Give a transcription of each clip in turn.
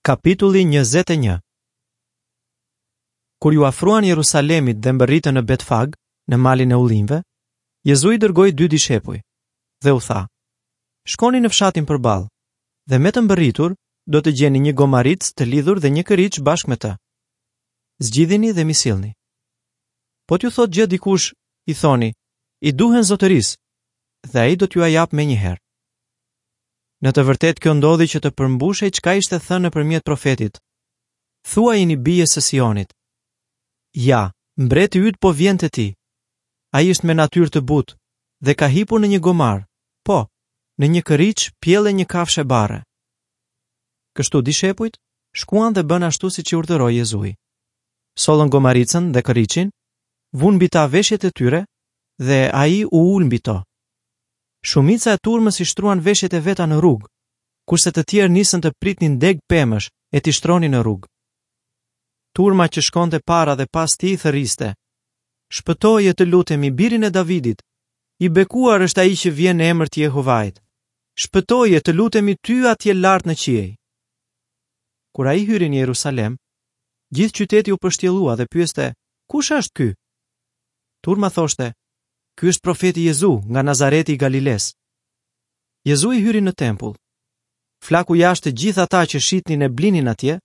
Kapitulli 21 Kur iu afruan Jerusalemit dhe mbërritën në Betfag, në malin e ullinjve, Jezui dërgoi dy dishepuj dhe u tha: Shkoni në fshatin përballë dhe me të mbërritur do të gjeni një gomaricë të lidhur dhe një kërriç bashkë me të. Zgjidhini dhe m'i sillni. Po t'ju thotë gjë dikush, i thoni, i duhen zotërisë, dhe ai do t'jua japë menjëherë. Në të vërtetë kjo ndodhi që të përmbushej çka ishte thënë nëpërmjet profetit. Thuajini bijës së Sionit. Ja, mbreti yt po vjen te ti. Ai është me natyrë të butë dhe ka hipur në një gomar, po, në një kërriç pjellë e një kafshe barre. Kështu dishepujt shkuan dhe bënë ashtu siç i urdhëroi Jezui. Sollën gomaricën dhe kërriçin, vunë mbi ta veshjet e tyre dhe ai u ul mbi to. Shumica e turmës i shtruan veshjet e veta në rrugë, kurse të tjerë nisën të pritnin degë pemësh e t'i shtronin në rrugë. Turma që shkonte para dhe pas tij thërriste: Shpëtoje të lutemi birin e Davidit. I bekuar është ai që vjen në emër të Jehovait. Shpëtoje të lutemi ty atje lart në qiej. Kur ai hyri në Jerusalem, gjithë qyteti u pështjellua dhe pyeste, kush është ky? Turma thoshte, Ky është profeti Jezu nga Nazareti i Galilesë. Jezui hyri në tempull. Flaku jashtë të gjithë ata që shitnin e blinin atje,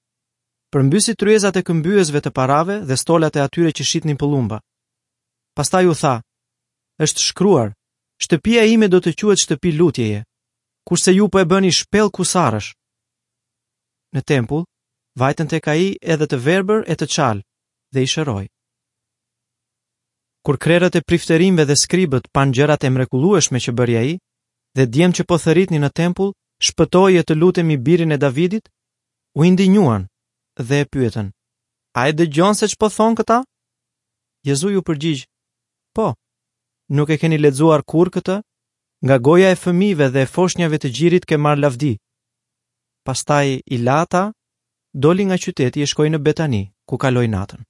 përmbysi tryezat e këmbyesve të parave dhe stolat e atyre që shitnin pëllumba. Pastaj u tha, është shkruar, shtëpia ime do të quhet shtëpi lutjeje, kurse ju po e bëni shpellë kusarësh. Në tempull, vajtën tek ai edhe të verbër e të çalë dhe i shëroi. Kur krerët e priftërinjve dhe skribët panë gjërat e mrekullueshme që bëri ai, dhe djemtë që po thërritnin në tempull, shpëtoje të lutemi birin e Davidit, u indinjuan dhe e pyetën, a e dëgjon se ç'po thonë këta? Jezui u përgjigj, po, nuk e keni lexuar kurrë këtë? Nga goja e fëmijëve dhe e foshnjave të gjirit ke marrë lavdi. Pastaj i la ata, doli nga qyteti e shkoi në Betani, ku kaloi natën.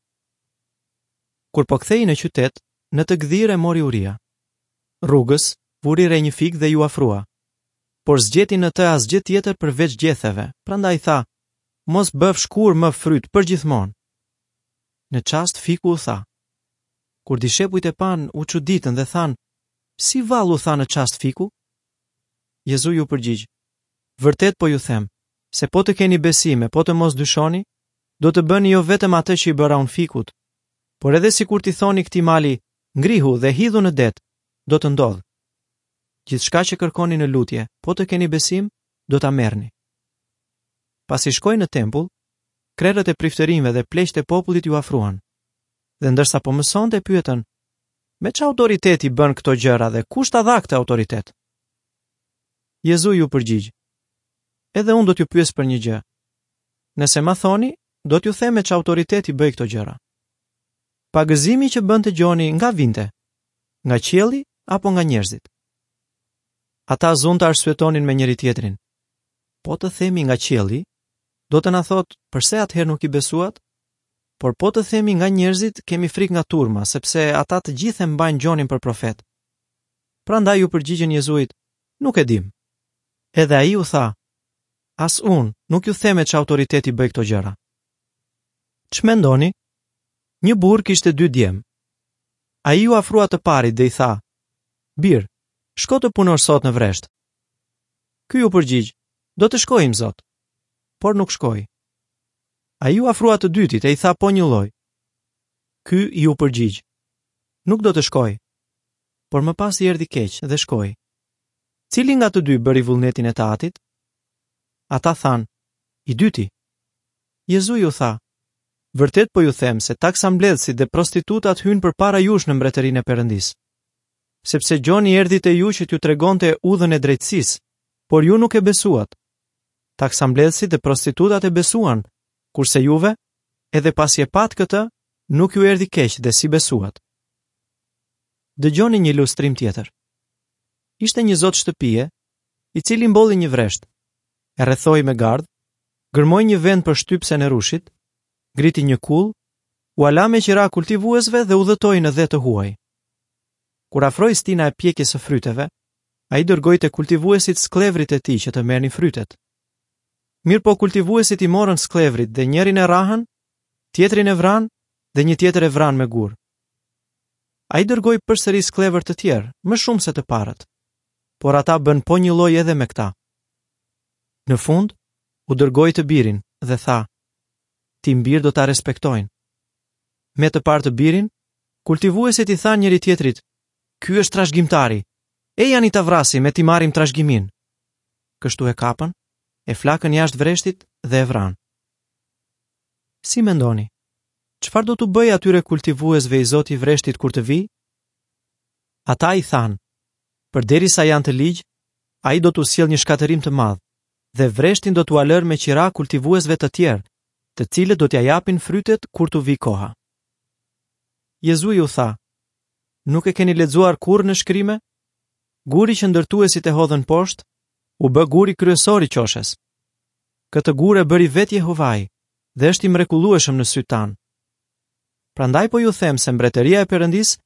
Kur po kthehej në qytet, në të gdhirë e mori uria. Rrugës, vuri re një fik dhe iu afrua. Por s'gjeti në të asgjë tjetër përveç gjetheve, prandaj tha, mos bëfsh kurrë më fryt përgjithmonë. Në çast fiku u tha. Kur dishepujt e panë, u çuditën dhe thanë, si vallë u tha në çast fiku? Jezui u përgjigj, vërtet po ju them, se po të keni besim e po të mos dyshoni, do të bëni jo vetëm atë që i bëra unë fikut, por edhe sikur t'i thoni këtij mali, ngrihu dhe hidhu në det, do të ndodhë. Gjithçka që kërkoni në lutje, po të keni besim, do ta merrni. Pasi shkoi në tempull, krerët e priftërinjve dhe pleqtë e popullit iu afruan. Dhe ndërsa po mësonte e pyetën, me ç'autoritet i bën këto gjëra dhe kush ta dha këtë autoritet? Jezui iu përgjigj, edhe unë do t'ju pyes për një gjë. Nëse ma thoni, do t'ju them me ç'autoritet i bëj këto gjëra. Pagëzimi që bënte Gjoni nga vinte? Nga qielli apo nga njerëzit? Ata zunë të arsyetonin me njëri-tjetrin. Po të themi nga qielli, do të na thotë përse atëherë nuk i besuat? Por po të themi nga njerëzit, kemi frikë nga turma, sepse ata të gjithë e mbajnë Gjonin për profet. Prandaj iu përgjigjën Jezuit, nuk e dimë. Edhe ai u tha, As unë nuk ju them me ç'autoritet i bëj këto gjëra. Ç'mendoni? Një burrë kishte dy djem. Ai iu afrua të parit dhe i tha: Bir, shko të punosh sot në vresht. Ky iu përgjigj: Do të shkoj, imzot. Por nuk shkoi. Ai iu afrua të dytit e i tha po njëlloj. Ky iu përgjigj: Nuk do të shkoj. Por më pas i erdhi keq dhe shkoi. Cili nga të dy bëri vullnetin e të atit? Ata thanë, i dyti. Jezui u tha, vërtet po ju them se taksambledhësit dhe prostitutat hyjnë përpara jush në mbretërinë e Perëndisë. Sepse Gjoni erdhi te ju që t'ju tregonte udhën e drejtësisë, por ju nuk e besuat. Taksambledhësit dhe prostitutat e besuan, kurse juve, edhe pasi e patë këtë, nuk ju erdhi keq dhe s'i besuat. Dëgjoni një ilustrim tjetër. Ishte një zot shtëpie, i cili mbolli një vresht, e rrethoi me gardh, gërmoi një vend për shtypësen e rrushit, ngriti një kullë, ua la me qira kultivuesve dhe udhëtoi në dhe të huaj. Kur afroi stina e pjekjes së fryteve, ai dërgoi te kultivuesit skllevërit e tij që të merrnin frytet. Mirëpo kultivuesit i morën skllevërit dhe njërin e rrahën, tjetrin e vranë dhe një tjetër e vranë me gurë. Ai dërgoi përsëri skllevër të tjerë, më shumë se të parët. Por ata bënë po njëlloj edhe me këta. Në fund, u dërgoi të birin dhe tha, tim bir do ta respektojnë. Me të parë të birin, kultivuesit i thanë njëri-tjetrit, ky është trashëgimtari, ejani ta vrasim e t'i marrim trashëgiminë. Kështu e kapën, e flakën jashtë vreshtit dhe e vranë. Si mendoni? Çfarë do t'u bëjë atyre kultivuesve i zoti i vreshtit kur të vijë? Ata i thanë, përderisa janë të ligj, ai do t'u sjellë një shkatërrim të madh dhe vreshtin do t'ua lërë me qira kultivuesve të tjerë, të cilët do t'ia japin frytet kur t'u vijë koha. Jezui u tha, nuk e keni lexuar kurrë në shkrime? Guri që ndërtuesit e hodhën poshtë, u bë guri kryesor i qoshes. Këtë gur e bëri vetë Jehovai dhe është i mrekullueshëm në sytë tanë. Prandaj po ju them se mbretëria e Perëndisë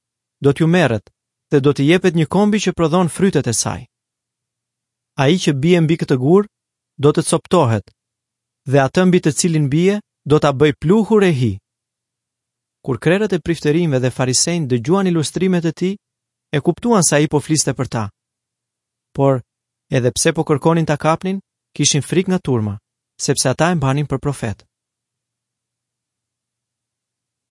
do t'ju merret dhe do t'i jepet një kombi që prodhon frytet e saj. Ai që bie mbi këtë gur do të copëtohet dhe atë mbi të cilin bie do ta bëjë pluhur e hi. Kur krerët e priftërinjve dhe farisenjtë dëgjuan ilustrimet e tij, e kuptuan se ai po fliste për ta. Por, edhe pse po kërkonin ta kapnin, kishin frikë nga turma, sepse ata e mbanin për profet.